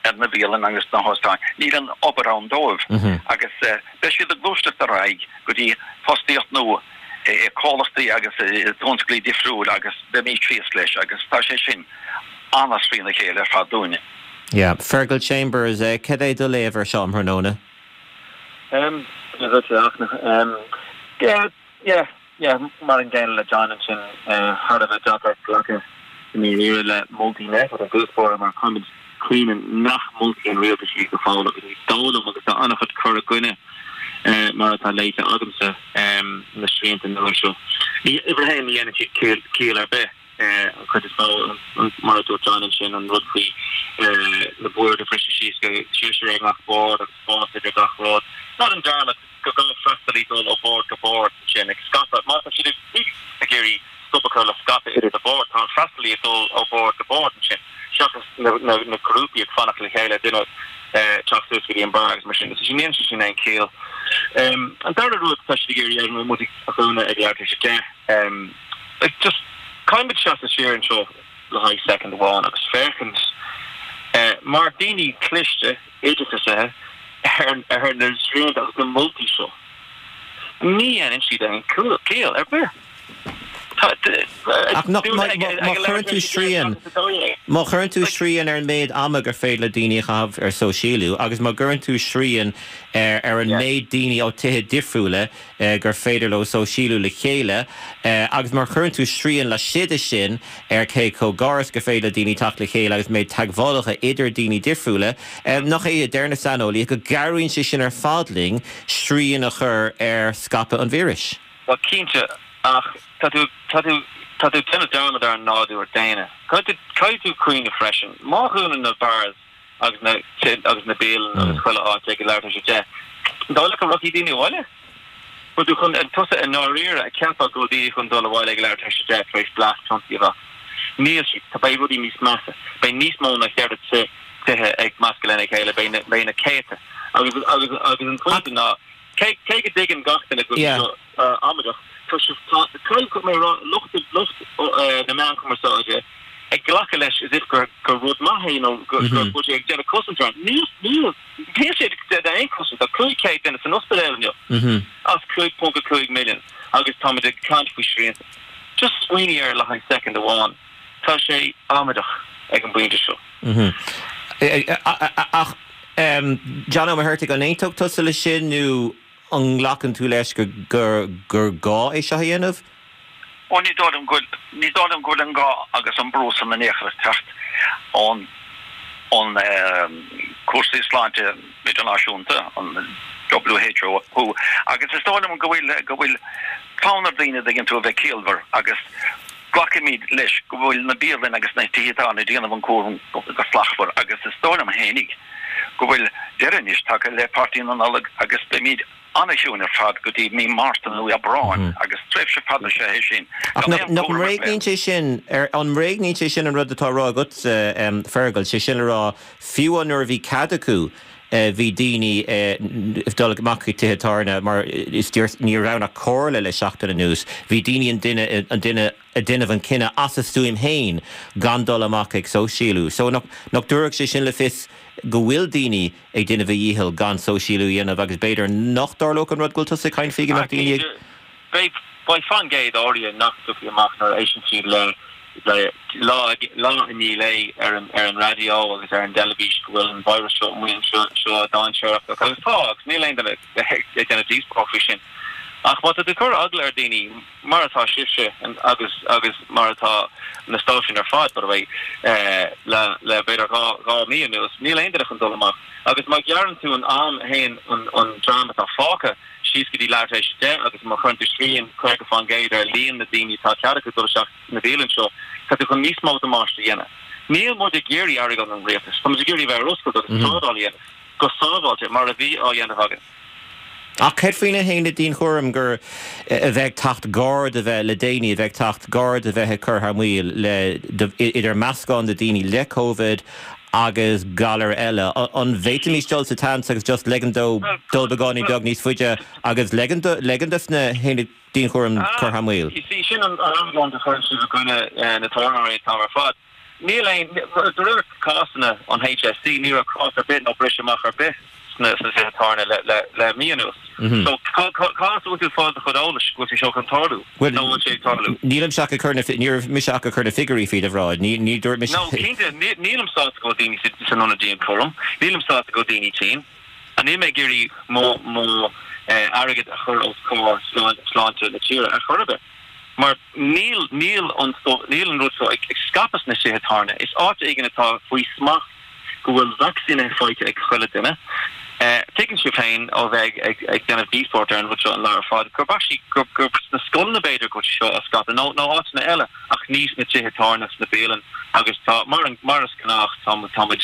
ar na bialanna agus na hóstáin, níl an obair ann dóibh agus beidh siad ag gluaiseacht ar aghaidh go dtí fostaíocht nua i comhlachtaí agus i dtionsclaí difriúil agus beimid thíos leis agus tá sé sin an-as trína chéile ar fad dúinne. Yeah. Fergal Chambers, cad é do léamh ar seo um thráthnóna? Um, yeah, yeah, yeah, mar an gcéanna le John ansin thar a bheith deacair glacadh i ndáiríre le moltaí Nphet i dtús báire mar caithfimid cuimhneamh nach moltaí an rialtais iad go fóill agus ní dóigh liom agus tá an-chuid cur i gcoinne mar atá léite agamsa na srianta nua seo. Ní uimhir a haon ní dhéanann siad ciall ar bith an chuid is mó mar a dúirt John ansin an rud faoi na boird a bhriseadh síos go seisear ar gach bord agus spás idir gach rud. Ná déan dearmad gur gá freastalaí dul ó bhord go bord ansin ag scaipeadh. Má tá siad ag iarraidh stop a chur le scaipeadh idir na boird, tá an freastalaí ag dul ó bhord go bord ansin seachas na, na, na grúpaí ag fanacht le chéile duine eh, teacht suas go dtí an bar agus mar sin. So ní dhéanann sé sin aon chiall. Um, an dara rud tá siad ag iarraidh ar muid a dhúnadh ag leathuair tar éis a deich. Um, like just caithfimid seasamh siar anseo le haghaidh soicind amháin agus féachaint eh, mar daoine cliste oideachasaithe ar ar na srianta agus na moltaí seo. Ní dhéanann siad aon chiall ar bith. Ach má chuireann tú srian má chuireann tú srian ar an méid ama gur féidir le daoine a chaitheamh ar sóisialú agus má chuireann tú srian ar ar an méid daoine ó tithe difriúla gur féidir leo sóisialú le chéile agus má chuireann tú srian laistigh de sin ar cé chomh gar is gur féidir le daoine teacht le chéile agus méid teagmhálacha idir daoine difriúla, nach é a deir na saineolaithe go gcabhraíonn sé sin ar fad linn srian a chur ar scaipeadh an víris? Bhuel cinnte, ach tá tú tá tú tá tú ag déanamh dearmad ar an nádúr daonna. Caithfidh tú caithfidh tú cuimhneamh freisin, má dhúnann na bars agus na agus na bialanna agus chuile áit ag leathuair tar éis a deich, an dóigh leat go rachaidh daoine abhaile? Bhfuil tú chun tusa i ndáiríre a cheapadh go bhfuil daoine chun dul abhaile ag leathuair tar éis a deich tar éis blast piontaí a bheith? Níl siad. Tá beidh rudaí níos measa. Beidh níos mó ná ceithre tithe ag meascadh lena chéile, beidh na beidh na céadta. Agus agus agus an pointe ná cé cé go dtuigeann gach duine go bhfuil seo amaideach, tá sibh tá caithfidh mé a rá lucht lucht na meán cumarsáide ag glacadh leis as if gur gur rud maith é nó gur gur bhfuil sé ag déanamh cosaint orm. Níl níl níl sé ag déanamh aon chosaint. Tá cúig chéad duine san ospidéal inniu as cúig ponc a cúig milliún agus táimid ag caint faoi srianta. Just smaoinigh air le haghaidh soicind amháin. Tá sé amaideach ag an bpointe seo. Ach John Ó Muircheartaigh, an aontódh tusa leis sin nó an nglacann tú leis gur gur gá é seo a dhéanamh? Ó ní dóigh liom go bhfuil, ní dóigh liom go bhfuil an gá agus an brú san in aon chor ag teacht ón ón cúrsaí sláinte idirnáisiúnta, an WHO, who, agus is dóigh liom go bhfuil go bhfuil fonn ar daoine, dtuigeann tú, a bheith ciallmhar agus glacaimid leis go bhfuil na bialanna agus na tithe tábhairne ag déanamh an cúram go slachtmhar agus is dóigh liom fhéinig go bhfuil deireadh anois tagtha le Páirtí na Nollag agus beimid an-chiúin ar fad go dtí mí Márta nó Aibreáin agus tréimhse fada is ea é sin Ach gan aon nach chúram ar mbréagnaíonn bith. sé sin, an mbréagnaíonn sé sin an rud atá á rá agatsa, Fergal, sé sin le rá, fiú nuair a bhí cead acu bhí daoine ag dul amach chuig tithe tábhairne mar is ní raibh ann ach comhairle le seachtain anuas, bhí daoine an duine an duine ag déanamh an cinneadh as a stuaim féin gan dul amach ag sóisialú. So nach nach dtabharfadh sé sin le fios go bhfuil daoine ag déanamh a dhícheall gan sóisialú a dhéanamh agus b'fhéidir nach dtarlódh an rud go bhfuil tusa ag caint faoi go mbeadh daoine ag. Beidh beidh faoin gcéad áirithe nach dtiocfaidh amach nuair a éisteann siad le le lá lá i ndiaidh lae ar an ar an raidió agus ar an dteilifís go bhfuil an virus seo amuigh anseo seo dainséarach agus tá agus níl aon duine ag déanamh díospóireacht faoi sin. Ach má tá tú ag cur eagla ar daoine, mar atá sibhse agus agus mar atá na stáisiúin ar fad, by the way, le le b'fhéidir dhá dhá mí anuas, níl aon duine chun dul amach. Agus má ghearrann tú an am a théann an an dream atá fágtha síos go dtí leathuair tar éis a deich agus má chuireann tú srian caoga faoin gcéad ar líon na daoine atá cead acu dul isteach sna bialanna seo, tá tú chun níos mó damáiste a dhéanamh. Níl muid ag iarraidh airgead ón rialtas, tá muid ag iarraidh bheith ar oscailt agus trádáil a dhéanamh go sábháilte mar a bhí á dhéanamh againn. Ach céard faoi na haonaid dianchúraim gur a bheith ag teacht gar do bheith le daoine a bheith ag teacht gar do bheith ag cur thar maoil le idir meascán de daoine le Covid agus galar eile. An bhféadfaimis dul sa tseans agus just ligean dó dul beagáinín beag níos faide agus ligean dos na haonaid dianchúraim cur thar maoil? You see, sin an argóint a chuireann sibh i gcoinne na tábhairneoirí an t-am ar fad. Níl aon, de réir cásanna an HSE, ní raibh cás ar bith nó briseadh amach ar bith sna tithe tábhairne le mí anuas. So, cá as a bhfuil tú ag fáil do chuid eolais go bhfuil sé seo chun tarlú? Nó bhfuil sé ag tarlú? Nílimse ach ag cur na, ní raibh mise ach ag cur na figiúirí faoi do bhráid. Ní, ní dúirt mise. No, cinnte, nílim sásta go bhfuil daoine san ionad dianchúraim, nílim sásta go bhfuil daoine tinn. And níl mé ag iarraidh mo, mo airgead a chur os comhair sláinte na tíre ar chor ar bith. Mar níl, níl an, níl an rud seo ag scaipeadh sna tithe tábhairne. Is áit éigin atá faoi smacht go bhfuil vacsaínithe faighte ag chuile duine. Tuigeann sibh féin ó bheith ag, ag déanamh díospóireacht ar an rud seo an lá ar fad gurb actually, gur, gur sna scoileanna b'fhéidir go bhfuil sé seo á scaipeadh nó, nó áiteanna eile ach ní sna tithe tábhairne, sna bialanna agus tá, mar an, mar is gnách tá, tá muid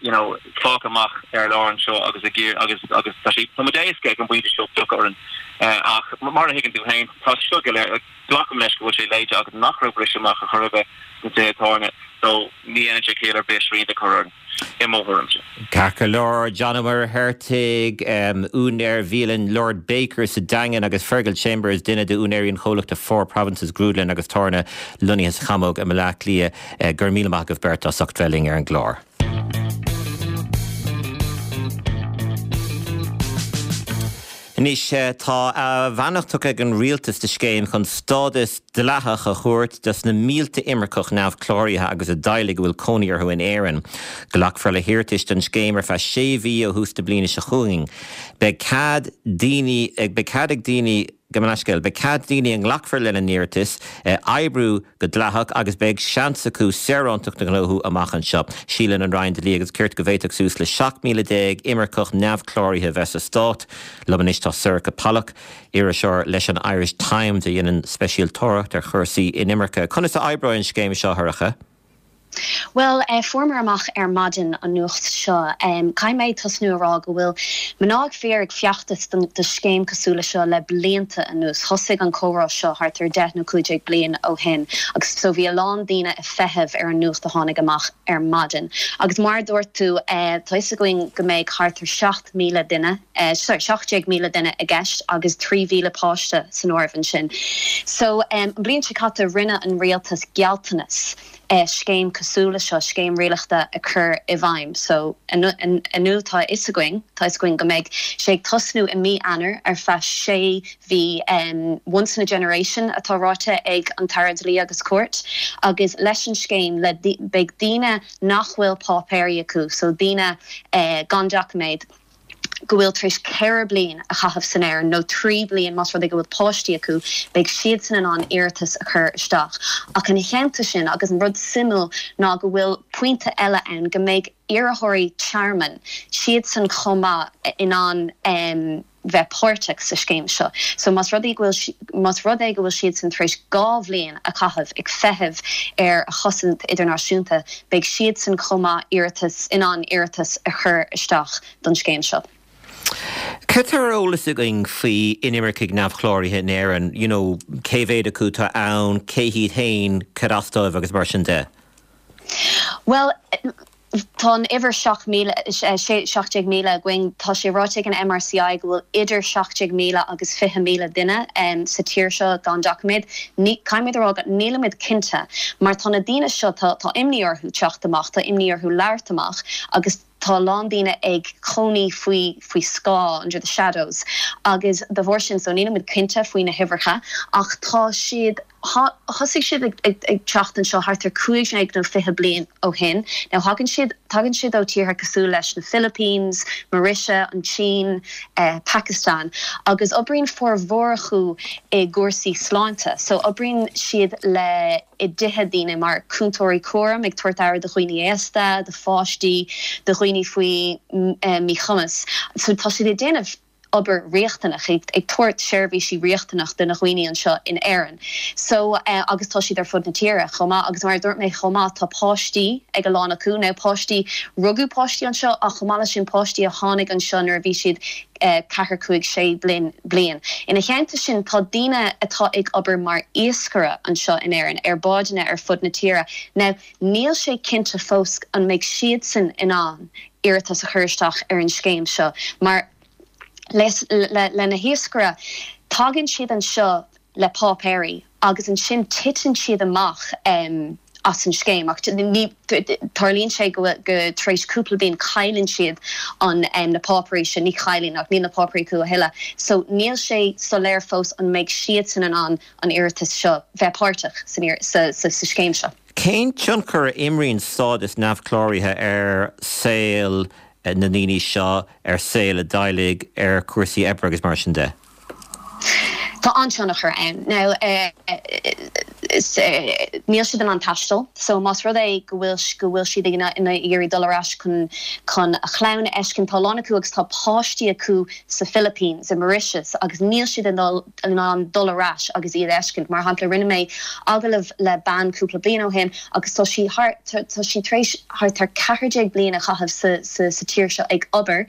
you know, fágtha amach ar lár anseo agus ag iarraidh agus, agus tá sé, tá muid éasca ag an bpointe seo piocadh orainn. Ach mar a thuigeann tú féin, tá sé seo go léir, glacaim leis go bhfuil sé léite agat nach raibh briseadh amach ar chor ar bith sna tithe tábhairne so ní dhéanann sé ciall ar bith srianta a chur orainn, i mo thuairimse. Ceart go leor, John Ó Muircheartaigh, úinéir bhialann Lord Baker sa Daingean agus Fergal Chambers, duine d'úinéirí an chomhlachta Four Provinces Grúdlann agus Tábhairne lonnaithe sa Chamóg i mBaile Átha Cliath. Go raibh míle maith agaibh beirt as ucht bheith linn ar an gclár. Anois, tá a bheannacht tugtha ag an rialtas do scéim chun stádas dleathach a thabhairt dos na mílte imirceach neamhchláraithe agus a dteaghlaigh a bhfuil cónaí orthu in Éirinn. Glacfar le hiarratais don scéim ar feadh sé mhí ó thús na bliana seo chugainn. Beidh cead daoine, beidh cead ag daoine, Gabh mo leithscéal, beidh cead daoine a nglacfar lena n-iarratas oibriú go dleathach agus beidh seans acu saorántacht a ghnóthú amach anseo. Síleann an Roinn Dlí agus Cirt go bhféadfadh suas le seacht míle déag imirceach neamhchláraithe bheith sa stát. Liom anois tá Sorcha Pollak, iriseoir leis an Irish Times a dhéanann speisialtóireacht ar chúrsaí inimirce. Conas a oibreoidh an scéim seo, a Shorcha? Bhuel, fuaireamar amach ar maidin an nuacht seo. Caithfidh mé tosnú a rá go bhfuil mná ag fir ag feachtas do scéim cosúil le seo le blianta anuas. Thosaigh an comhrá seo thart ar deich nó cúig déag bliain ó shin agus so bhí a lán daoine ag feitheamh ar an nuacht a tháinig amach ar maidin. Agus mar a dúirt tú, tá fhios againn go mbeidh thart ar seacht míle duine, sorry, seacht déag míle duine i gceist agus trí mhíle páiste san áireamh ansin. So an bhliain seo caite rinne an rialtas gealltanas. scéim cosúil le seo, scéim rialachta a chur i bhfeidhm. So inniu tá a fhios againn, tá a fhios againn go mbeidh sé ag tosnú i mí Eanáir ar feadh sé mhí, once in a generation atá ráite ag an tAire Dlí agus Cirt, agus leis an scéim le beidh daoine nach bhfuil páipéirí acu, so daoine gan doiciméad, go bhfuil tar éis ceithre bliain a chaitheamh san Éirinn, nó trí bliain más rud é go bhfuil páistí acu, beidh siadsan in ann iarratas a chur isteach. Ach ina theannta sin, agus an rud suimiúil ná go bhfuil pointe eile ann, go mbeidh iarrthóirí tearmainn, siadsan chomh maith in ann bheith páirteach sa scéim seo. So más rud é go bhfuil, más rud é go bhfuil siadsan tar éis dhá bhliain a chaitheamh ag feitheamh ar a chosaint idirnáisiúnta, beidh siadsan chomh maith iarratas, in ann iarratas a chur isteach don scéim seo. Cad tá ar eolas againn faoi inimircigh neamhchláraithe in Éirinn, you know, cé mhéad acu atá ann, cé hiad féin, cad as dóibh agus mar sin de? Bhuel, tá an uimhir seacht míle, seacht déag míle againn. Tá sé ráite ag an MRCI go bhfuil idir seacht déag míle agus fiche míle duine sa tír seo gan doiciméad. Ní, caithfimid a rá go nílimid cinnte mar tá na daoine seo, tá, tá imní orthu teacht amach, tá imní orthu labhairt amach agus tá a lán daoine ag cónaí faoi, faoi scáth, under the shadows, agus de bharr sin, so nílimid cinnte faoi na huimhreacha ach tá siad, thosaigh siad ag, ag, ag teacht anseo thart ar cúig déag nó fiche bliain ó shin. Now thagann siad, tagann siad ó tíortha cosúil leis na Philippines, Mauritius, an tSín, eh, Pakistan agus oibríonn formhór acu i gcúrsaí sláinte. So oibríonn siad le i dtithe daoine mar cúntóirí cúraim, ag tabhairt aire do dhaoine aosta, do pháistí, do dhaoine faoi míchumas. So tá siad ag déanamh obair riachtanach, ag tabhairt seirbhísí riachtanach do na dhaoine anseo in Éirinn. So agus tá siad ar fud na tíre chomh maith agus mar a dúirt mé chomh maith tá páistí ag a lán acu, now páistí, rugadh páistí anseo ach chomh maith leis sin páistí a tháinig anseo nuair a bhí siad ceathair, cúig, sé bliain. Ina theannta sin tá daoine atá ag obair mar iascaire anseo in Éirinn ar bádanna ar fud na tíre. Now níl sé cinnte fós an mbeidh siadsan in ann iarratas a chur isteach ar an scéim seo mar le na hiascaire, tagann siad anseo le páipéirí agus ansin titeann siad amach as an scéim ach tarlaíonn sé go go tar éis cúpla bliain cailleann siad an na páipéirí sin, ní chailleann ach níl na páipéirí acu a thuilleadh. So níl sé soiléir fós an mbeidh siadsan in ann an iarratas seo bheith páirteach sa sa scéim seo. Cén tionchar a imríonn stádas neamhchláraithe ar saol na ndaoine seo, ar saol a dteaghlaigh, ar chúrsaí oibre agus mar sin de? Tá an-tionchar ann. Now níl siad in ann taisteal, so más rud é go bhfuil go bhfuil siad ag iarraidh dul ar ais chun chun a chlann a fheiscint, tá a lán acu agus tá páistí acu sa Philippines, i Mauritius agus níl siad in in ann dul ar ais agus iad a fheiscint. Mar shampla rinne mé agallamh le bean cúpla bliain ó shin agus tá sí thar tá sí tar éis thart ar ceathair déag bliain a chaitheamh sa sa sa tír seo ag obair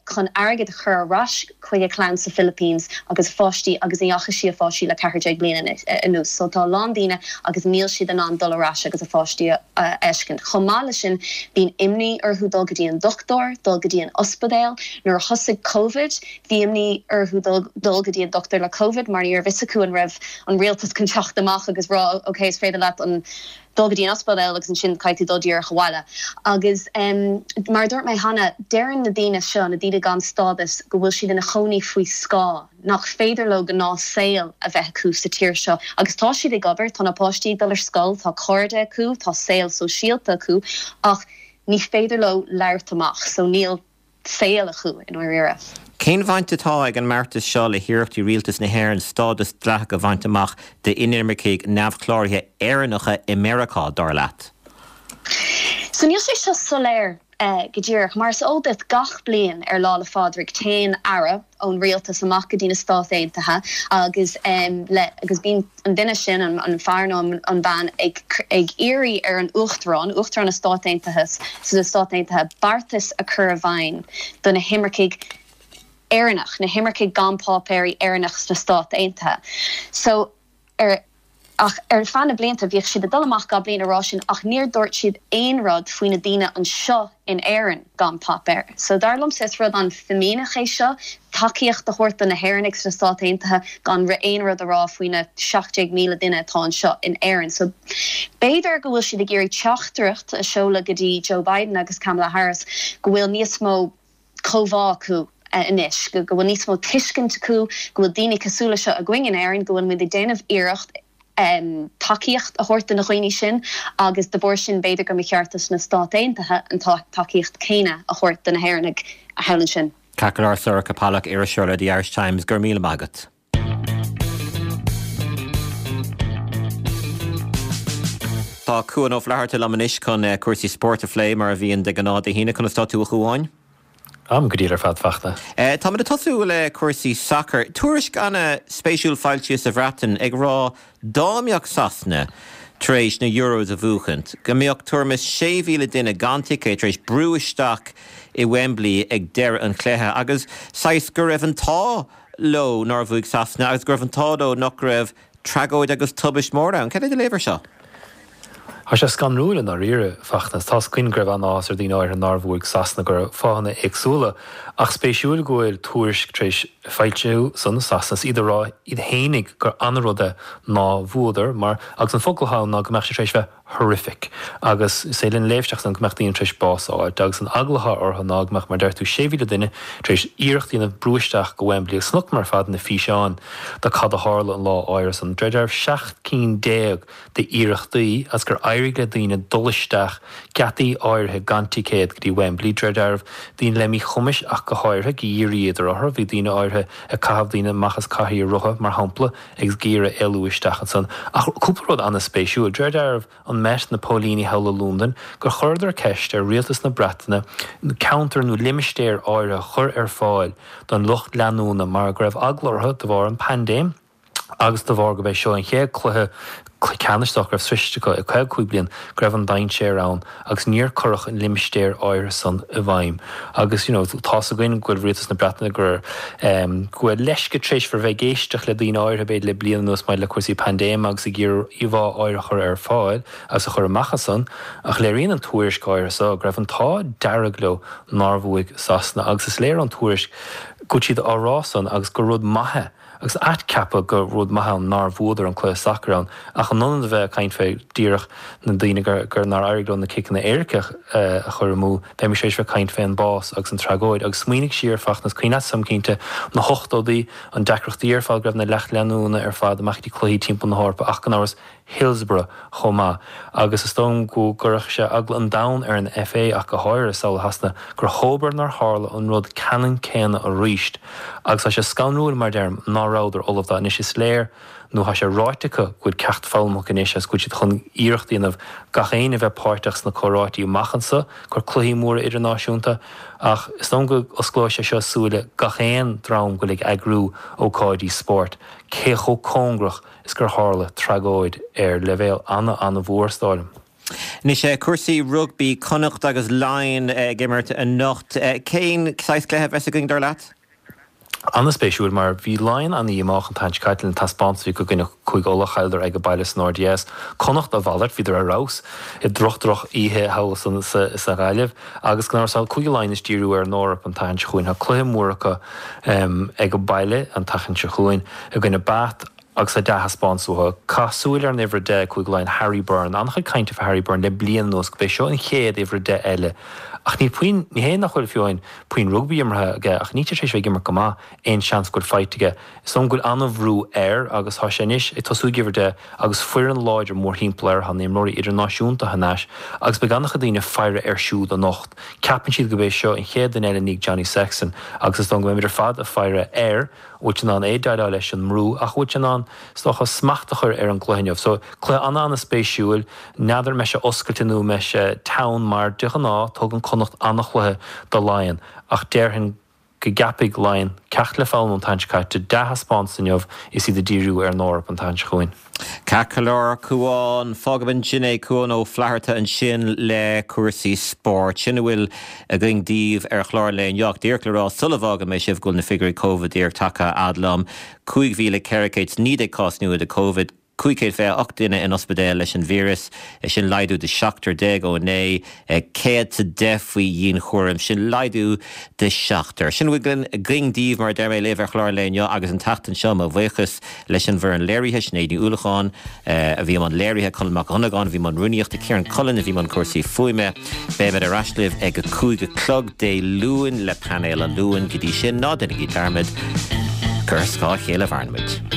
chun airgead a chur ar ais chuig a clann sa Philippines agus a pháistí agus ní fhaca sí a pháistí le ceathair déag bliain anuas. So tá a lán daoine agus níl siad in ann dul ar ais agus a pháistí a fheiscint. Chomh maith leis sin bíonn imní orthu dul go dtí an dochtúir, dul go dtí an ospidéal. Nuair a thosaigh Covid bhí imní orthu dul dul go dtí an dochtúir le Covid mar ní raibh fhios acu an raibh an rialtas chun teacht amach agus rá ok is féidir leat an dul go dtí an ospidéal agus ansin caithfidh tú dul díreach abhaile. Agus mar a dúirt mé cheana, deireann na daoine seo, na daoine gan stádas, go bhfuil siad ina chónaí faoi scáth, nach féidir leo gnáthshaol a bheith acu sa tír seo. Agus tá siad ag obair, tá na páistí ag dul ar scoil, tá cairde acu, tá saol sóisialta acu, ach ní féidir leo labhairt amach, so níl saol acu i ndáiríre. Cén bhaint atá ag an mbeartas seo le hiarrachtaí rialtas na hÉireann stádas dleathach a bhaint amach d'inimircigh neamhchláraithe Éireannacha i Meiriceá, dar leat? So níl sé seo soiléir go díreach. Mar is eol duit, gach bliain ar Lá 'le Phádraig téann aire ón rialtas amach go dtí na Stáit Aontaithe agus le agus bíonn an duine sin, an fear nó an bhean, ag ag iarraidh ar an Uachtarán, Uachtarán na Stát Aontaithe, sna Stáit Aontaithe, beartas a chur i bhfeidhm do na himircigh Éireannach, na himircigh gan páipéirí Éireannach sna Stáit Aontaithe. So ar Ach ar feadh na blianta bhíodh siad ag dul amach gach bliain a rá sin ach níor dúirt siad aon rud faoi na daoine anseo in Éirinn gan páipéir. So dar liomsa is rud an-fhimíneach é seo, tacaíocht a thabhairt do na hÉireannaigh sna Stáit Aontaithe gan aon rud a rá faoi na seacht déag míle duine atá anseo in Éirinn. So b'fhéidir go bhfuil siad ag iarraidh teachtaireacht a seoladh go dtí Joe Biden agus Kamala Harris go bhfuil níos mó comhbhá acu anois, go bhfuil níos mó tuiscint acu, go bhfuil daoine cosúil le seo againn in Éirinn, go bhfuil muid ag déanamh iarracht tacaíocht a thabhairt do na dhaoine sin agus de bharr sin b'fhéidir go mba cheart dos na Stáit Aontaithe an tacaíocht céanna a thabhairt do na hÉireannaigh thall ansin. Ceart go leor, Sorcha Pollak, iriseoir le The Irish Times, go raibh míle maith agat. Tá Cuan Ó Flatharta liom anois chun cúrsaí spóirt a phlé mar a bhíonn de ghnáth Dé hAoine. Conas tá tú a Chuáin? Táim go diail ar fad, a Fhachtna. Táimid ag tosú le cúrsaí sacair. Tuairisc ana-spéisiúil foilsithe sa Bhreatain ag rá dá mbeadh Sasana tar éis na Euros a bhuachaint, go mbeadh tuairim is sé mhíle duine gan ticéad tar éis brú isteach i Wembley ag deireadh an chluiche agus saghas go raibh an t-ádh leo nár bhuaigh Sasana agus go raibh an t-ádh leo nach raibh tragóid agus tubaist mór ann. Cad é do léamh air seo? Tá sé scanrúil i ndáiríre, a Fhachtna. Tá's againn go raibh an-áthas ar daoine áirithe nár bhuaigh Sasana do fáthanna éagsúla, ach spéisiúil go bhfuil tuairisc tar éis foilsiú ansan i Sasana is iad ag rá iad fhéinig gur an-rud é ná bhuadar mar agus an focal atá ann ná go mbeadh sé tar éis bheith horrific agus is féidir linn léamh isteach ansan go mbeadh daoine tar éis bás a fháilt agus an eagla atá orthu ná go mbeadh mar deir tú sé mhíle duine tar éis iarracht a dhéanamh brú isteach go Wembley agus chonaiceamar ar fad na físeáin de cad a tharla an lá áirithe san. De réir dealraimh seacht cinn déag d'iarrachtaí agus gur éirigh éirigh le daoine dul isteach geataí áirithe gan ticéad go dtí Wembley, de réir dealraimh, daoine le míchumais ach go háirithe, ag iarraidh iad orthu. Bhí daoine áirithe ag caitheamh daoine amach as cathaoir rotha, mar shampla, agus ag iarraidh éalú isteach ansan. Ach cúpla rud an-spéisiúil, de réir dealraimh, an Met, na póilíní thall i Londain, gur chuireadar ceist ar rialtas na Breataine ceantar nó limistéar áirithe a chur ar fáil don lucht leanúna mar go raibh eagla orthu de bharr an paindéim agus de bharr gurb é seo an chéad cluiche ceannais dá raibh sroichte acu i caoga cúig bliain go raibh an dainséar ann agus níor cuireadh an limistéar áirithe san i bhfeidhm. Agus you know tá's againn go bhfuil rialtas na Breataine gur um, go bhfuil leisce tar éis bheith ag éisteacht le daoine áirithe b'fhéidir le bliain anuas maidir le cúrsaí paindéime agus ag iarraidh íomhá áirithe a chur ar fáil agus a chur amach as san ach léiríonn an tuairisc áirithe seo go raibh an t-ádh dearg leo nár bhuaigh Sasana agus is léir ón tuairisc go bhfuil siad á rá san agus gur rud maith é agus ait ceapadh gur rud maith ann nár bhuadar an cluiche sacair ann ach in ionad a bheith ag caint fé díreach na daoine gur gur nár éirigh leo na ciceanna éirice a chur amú, bheimis tar éis bheith ag caint fé an bás agus an tragóid agus smaoinigh siar Fachtna, is cuimhin leat sam cinnte na hochtóidí, an deacrachtaí ar fad go raibh na lucht leanúna ar fad amach go dtí cluichí timpeall na hEorpa ach gan amhras Hillsborough chomh maith agus is dóigh go gcuirfeadh sé eagla an domhain ar an FA ach go háirithe samhlaigh Shasana gur dhóbair nár tharla an rud ceannann céanna arís agus tá sé scanrúil mar deirim ná rabhadar ullamh dó anois is léir nó tá sé ráite acu go bhfuil ceacht foghlamtha acu anois agus go bhfuil siad chun iarracht a dhéanamh gach éinne a bheith páirteach sna comhráití amach anso gur cluichí móra idirnáisiúnta ach is dóigh go osclóidh sé seo súile gach aon dream go bhfuil ag eagrú ócáidí spóirt cé chomh cóngarach is gur tharla tragóid ar leibhéal ana-ana-mhór is dóigh liom. Anois cúrsaí rugbaí, Connacht agus Laighin ag imirt anocht. Cén saghas cluiche a bheas againn dar leat? An-spéisiúil mar bhí Laighin an-dhíomách an tseachtain seo caite lena taispeántas i gcoinne Cúige Uladh, chailleadar ag a baile san RDS. Connacht a mhalairt, bhíodar ar fheabhas i droch-droch oíche thall sa Ghaillimh agus gan amhras tá Cúige Laighean ag díriú ar an Eoraip an tseachtain seo chugainn. Tá cluiche mór acu ag a baile an tseachtain seo chugainn i gcoinne Bath agus tá dea-thaispeántas uathu. Caith súil ar an uimhir a deich ag Cúige Laighean, Harry Byrne. An-chuid cainte fá Harry Byrne le bliain anuas go b'é seo an chéad uimhir a deich eile. Ach níl puinn, ní hé nach bhfuil fiú amháin puinn rugbaí imeartha aige ach níl sé tar éis bheith ag imirt go maith, aon seans go bhfuil faighte aige. Is dóigh go bhfuil an-bhrú air agus tá sé anois ag tosú ag uimhir a deich agus foireann láidir mórthimpeall air, tá na himreoirí idirnáisiúnta thar n-ais agus beidh an-chuid daoine ag faire air siúd anocht. Ceapann siad go b'é seo an chéad duine eile i ndiaidh Johnny Sexton agus is dóigh go mbeimid ar fad ag faire air. bhfuil sé in ann é déileáil leis an mbrú ach bhfuil sé in ann is dócha smacht a chur ar an gcluiche inniu. So cluiche an-an-spéisiúil, n'fheadar an mbeidh sé oscailte nó an mbeidh sé teann mar de ghnáth tugann Connacht an-chluiche do Laighean ach déarfainn go gceapfaidh Laighean ceacht le foghlaim ón tseachtain seo caite, dea-thaispeántas inniu is iad ag díriú ar an Eoraip an tseachtain seo chugainn. Ceart go leor, Cuán. Fágfaidh ansin é Cuán Ó Flatharta ansin le cúrsaí spóirt. Sin a bhfuil againn daoibh ar chlár an lae inniu. Ach díreach le rá sula bhfágann mé sibh go bhfuil na figiúirí Covid díreach tagtha a fhad liom. Cúig mhíle ceithre chéad is naoi déag cás nua de Covid. cúig chéad fiche a hocht duine in ospidéal leis an víreas, sin laghdú de seachtar déag ó inné, céad 's a deich faoi dhianchúram, sin laghdú de sheachtar. Sin a bhfuil againn daoibh, mar a deir mé libh, ar chlár an lae inniu agus an tseachtain seo, mo bhuíochas leis an bhfoireann léirithe, Sinéad Ní Uallacháin a bhí i mbun léirithe, Colm Mac Dhonnagáin a bhí i mbun rúnaíochta, Ciarán Cullen a bhí i mbun cúrsaí fuaime. Beimid ar ais libh ag a cúig a chlog Dé Luain le Painéal an Luain. Go dtí sin, ná déanaigí dearmad gur ar scáth a chéile a mhaireann muid.